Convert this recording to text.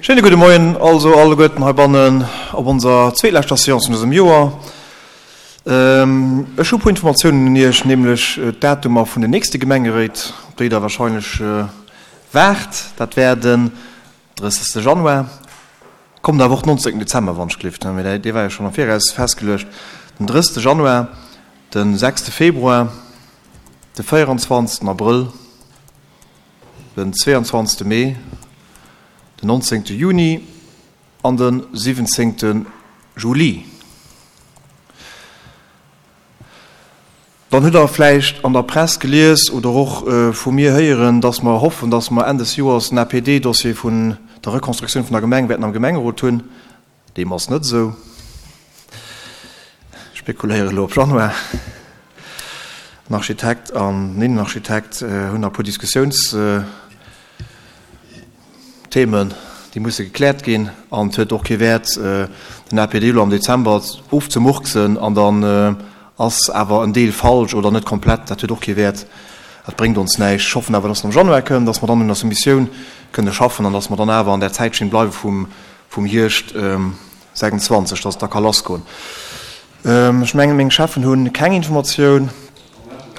Schéine gudde Moien also alleguerten heibannen op onser zweetleschter Seance vun dësem Joer. Ech hu e puer Informatiounen un Iech, nämlech d'Datumer vun den nächste Gemengeréit, op déi Der wahrscheinlech waart. Dat wär den 30. Januar, kommt awer och den 19. Dezember, wann ech gelift, mee dee war jo schonn am Viraus festgeluecht, den 30. Januar, de 6. Februar, de 24. Abrëll, den 22. Mee, den 19. Juni an de 17. Juli. Dann hutt Der vläicht an der Press gelies oder och vu mir héieren, dass mer hoffen, dass mer Enn des Joers den APD-Dossier vun der Reconstructioun vun der Gemeng wäerten am Gemengerot hunn. Deem ass net esou. Ech spekuléiere elo op Januar. Den Architekt an den Innenarchitekt hunn nach e puer Diskussiounsthemen, déi musse gekläert ginn. An et huet och kee Wäert, den APD elo am Dezember ofzemurksen an dann ass awer en Deel falsch oder net komplett. Dat huet och kee Wäert. Dat bréngt ons näischt. Ech hoffen awer, dass en am Januar kënnt, dass mer dann un der Soumissioun kënne schaffen an dass mer dann awer an där Zäitschinn bleiwe vum vum Hierscht 26, dass et da ka lassgoen. Ech mengen, meng Cheffen hu keng Informatioun.